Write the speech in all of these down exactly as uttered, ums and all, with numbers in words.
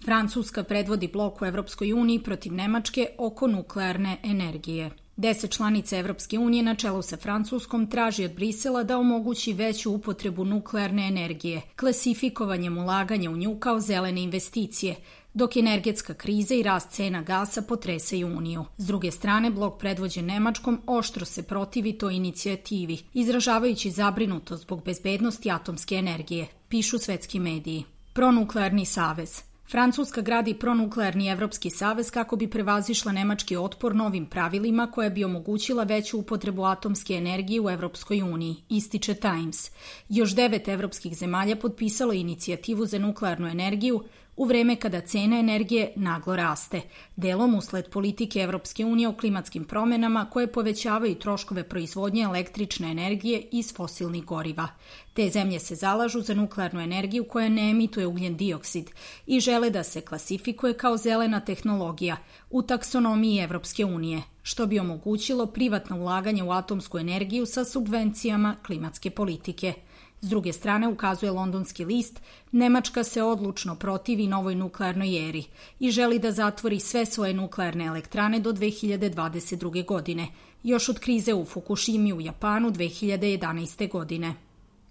Francuska predvodi blok u Evropskoj uniji protiv Nemačke oko nuklearne energije. Deset članica Evropske unije na čelu sa Francuskom traži od Brisela da omogući veću upotrebu nuklearne energije, klasifikovanjem ulaganja u nju kao zelene investicije, dok energetska kriza i rast cena gasa potresaju Uniju. S druge strane, blok predvođen Nemačkom oštro se protivi toj inicijativi, izražavajući zabrinutost zbog bezbednosti atomske energije, pišu svetski mediji. Pronuklearni savez. Francuska gradi pronuklearni Evropski savez kako bi prevazišla nemački otpor novim pravilima koja bi omogućila veću upotrebu atomske energije u Evropskoj uniji, ističe Times. Još devet evropskih zemalja potpisalo inicijativu za nuklearnu energiju u vreme kada cena energije naglo raste, delom usled politike Evropske unije o klimatskim promenama koje povećavaju troškove proizvodnje električne energije iz fosilnih goriva. Te zemlje se zalažu za nuklearnu energiju koja ne emituje ugljen dioksid i žele da se klasifikuje kao zelena tehnologija u taksonomiji Evropske unije, što bi omogućilo privatno ulaganje u atomsku energiju sa subvencijama klimatske politike. S druge strane, ukazuje londonski list, Nemačka se odlučno protivi novoj nuklearnoj eri i želi da zatvori sve svoje nuklearne elektrane do dve hiljade dvadeset druge. godine, još od krize u Fukushimi u Japanu dve hiljade jedanaeste. godine.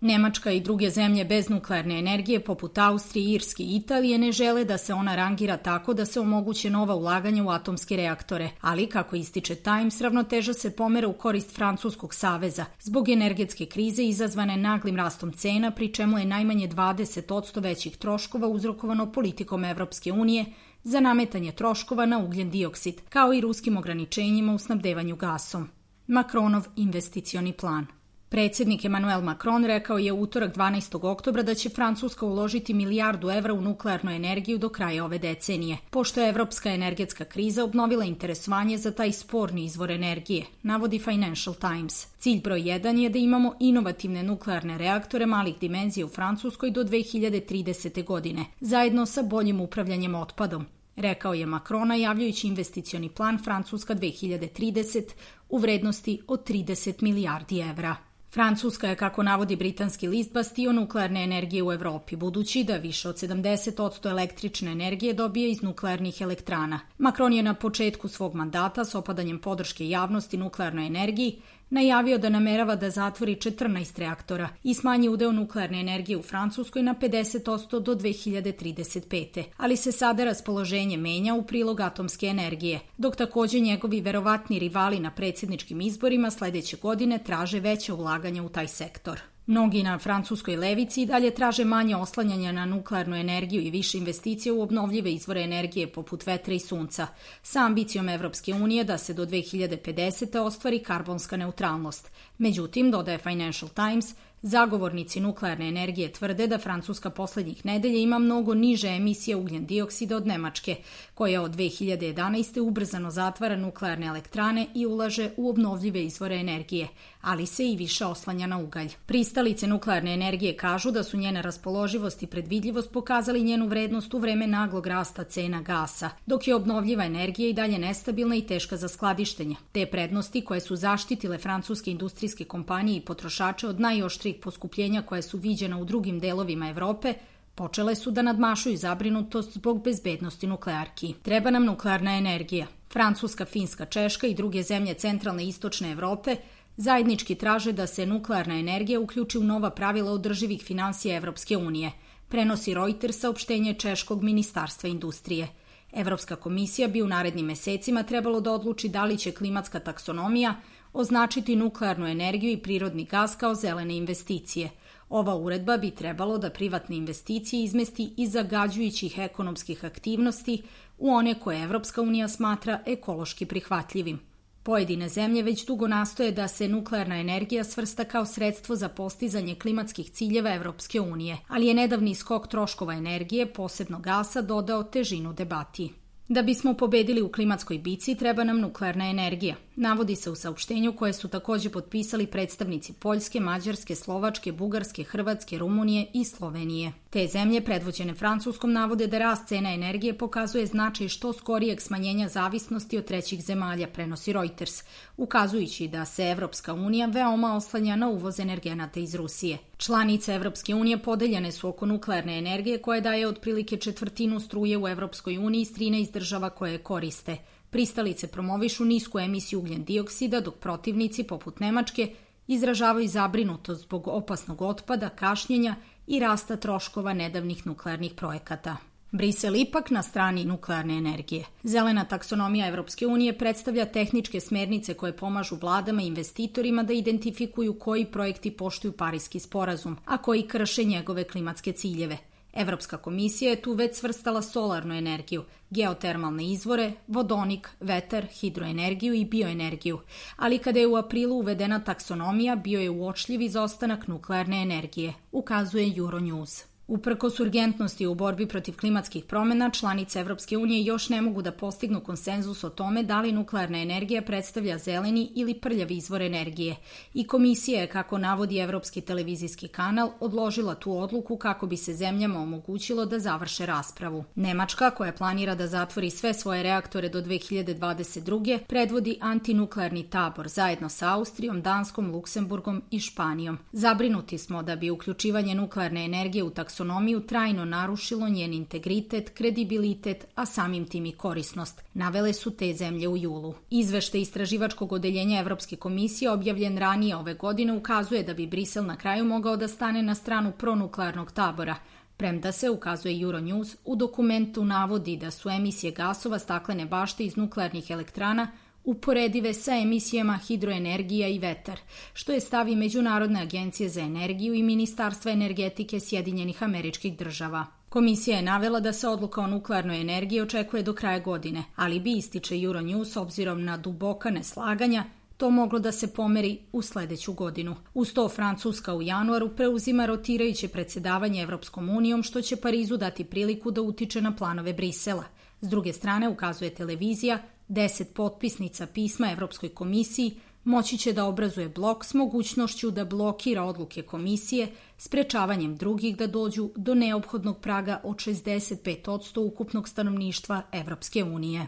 Nemačka i druge zemlje bez nuklearne energije, poput Austrije, Irske i Italije, ne žele da se ona rangira tako da se omoguće nova ulaganja u atomske reaktore, ali, kako ističe Times, ravnoteža se pomera u korist Francuskog saveza zbog energetske krize izazvane naglim rastom cena, pri čemu je najmanje dvadeset posto većih troškova uzrokovano politikom Evropske unije za nametanje troškova na ugljen dioksid, kao i ruskim ograničenjima u snabdevanju gasom. Macronov investicioni plan. Predsjednik Emmanuel Macron rekao je u utorak dvanaestog oktobra da će Francuska uložiti milijardu evra u nuklearnu energiju do kraja ove decenije, pošto je evropska energetska kriza obnovila interesovanje za taj sporni izvor energije, navodi Financial Times. Cilj broj jedan je da imamo inovativne nuklearne reaktore malih dimenzija u Francuskoj do dve hiljade tridesete. godine, zajedno sa boljim upravljanjem otpadom, rekao je Macron najavljujući investicioni plan Francuska dve hiljade trideset u vrednosti od trideset milijardi evra. Francuska je, kako navodi britanski list, bastion nuklearne energije u Evropi, budući da više od sedamdeset posto električne energije dobije iz nuklearnih elektrana. Macron je na početku svog mandata s opadanjem podrške javnosti nuklearnoj energiji najavio da namerava da zatvori četrnaest reaktora i smanji udeo nuklearne energije u Francuskoj na pedeset posto do dve hiljade trideset pete. Ali se sada raspoloženje menja u prilog atomske energije, dok također njegovi verovatni rivali na predsjedničkim izborima sledeće godine traže veće ulaganja u taj sektor. Mnogi na francuskoj levici dalje traže manje oslanjanja na nuklearnu energiju i više investicije u obnovljive izvore energije poput vetra i sunca, sa ambicijom Evropske unije da se do dve hiljade pedesete. ostvari karbonska neutralnost. Međutim, dodaje Financial Times, zagovornici nuklearne energije tvrde da Francuska poslednjih nedelja ima mnogo niže emisije ugljen dioksida od Nemačke, koja od dve hiljade jedanaeste. ubrzano zatvara nuklearne elektrane i ulaže u obnovljive izvore energije, ali se i više oslanja na ugalj. Pristalice nuklearne energije kažu da su njena raspoloživost i predvidljivost pokazali njenu vrednost u vreme naglog rasta cena gasa, dok je obnovljiva energija i dalje nestabilna i teška za skladištenje. Te prednosti, koje su zaštitile francuske industrijske kompanije i potrošače od najoštrijih poskupljenja koje su viđena u drugim delovima Evrope, počele su da nadmašuju zabrinutost zbog bezbednosti nuklearki. Treba nam nuklearna energija. Francuska, Finska, Češka i druge zemlje centralne i istočne Evrope zajednički traže da se nuklearna energija uključi u nova pravila održivih finansija Evropske unije, prenosi Reuters saopštenje Češkog ministarstva industrije. Evropska komisija bi u narednim mesecima trebalo da odluči da li će klimatska taksonomija označiti nuklearnu energiju i prirodni gas kao zelene investicije. Ova uredba bi trebalo da privatne investicije izmesti iz zagađujućih ekonomskih aktivnosti u one koje Evropska unija smatra ekološki prihvatljivim. Pojedine zemlje već dugo nastoje da se nuklearna energija svrsta kao sredstvo za postizanje klimatskih ciljeva Evropske unije, ali je nedavni skok troškova energije, posebno gasa, dodao težinu debati. Da bismo pobedili u klimatskoj bici, treba nam nuklearna energija. navodi se u saopštenju koje su takođe potpisali predstavnici Poljske, Mađarske, Slovačke, Bugarske, Hrvatske, Rumunije i Slovenije. Te zemlje, predvođene Francuskom, navode da rast cena energije pokazuje značaj što skorijeg smanjenja zavisnosti od trećih zemalja, prenosi Reuters, ukazujući da se Evropska unija veoma oslanja na uvoz energenata iz Rusije. Članice Evropske unije podeljene su oko nuklearne energije koja daje otprilike četvrtinu struje u Evropskoj uniji iz trinaest država koje je koriste. Pristalice promovišu nisku emisiju ugljen dioksida, dok protivnici, poput Nemačke, izražavaju zabrinutost zbog opasnog otpada, kašnjenja i rasta troškova nedavnih nuklearnih projekata. Brisel ipak na strani nuklearne energije. Zelena taksonomija Evropske unije predstavlja tehničke smernice koje pomažu vladama i investitorima da identifikuju koji projekti poštuju Pariski sporazum, a koji krše njegove klimatske ciljeve. Evropska komisija je tu već svrstala solarnu energiju, geotermalne izvore, vodonik, vetar, hidroenergiju i bioenergiju, ali kada je u aprilu uvedena taksonomija, bio je uočljiv izostanak nuklearne energije, ukazuje Euronews. Uprkos urgentnosti u borbi protiv klimatskih promena, članice Evropske unije još ne mogu da postignu konsenzus o tome da li nuklearna energija predstavlja zeleni ili prljavi izvor energije i komisija je, kako navodi Evropski televizijski kanal, odložila tu odluku kako bi se zemljama omogućilo da završe raspravu. Nemačka, koja planira da zatvori sve svoje reaktore do dve hiljade dvadeset druge. predvodi antinuklearni tabor zajedno sa Austrijom, Danskom, Luksemburgom i Španijom. Zabrinuti smo da bi uključivanje nuklearne energije u taksonomiju trajno narušilo njen integritet, kredibilitet, a samim tim i korisnost, navele su te zemlje u julu. Izveštaj istraživačkog odeljenja Evropske komisije objavljen ranije ove godine ukazuje da bi Brisel na kraju mogao da stane na stranu pronuklearnog tabora, premda se, ukazuje Euronews, u dokumentu navodi da su emisije gasova staklene bašte iz nuklearnih elektrana uporedive sa emisijama hidroenergija i vetar, što je stav i Međunarodne agencije za energiju i Ministarstva energetike Sjedinjenih Američkih Država. Komisija je navela da se odluka o nuklearnoj energiji očekuje do kraja godine, ali bi, ističe Euronews, obzirom na duboka neslaganja, to moglo da se pomeri u sledeću godinu. Uz to, Francuska u januaru preuzima rotirajuće predsjedavanje Evropskom unijom, što će Parizu dati priliku da utiče na planove Brisela. S druge strane, ukazuje televizija, deset potpisnica pisma Evropskoj komisiji moći će da obrazuje blok s mogućnošću da blokira odluke komisije, sprečavanjem drugih da dođu do neophodnog praga od šezdeset pet posto ukupnog stanovništva Evropske unije.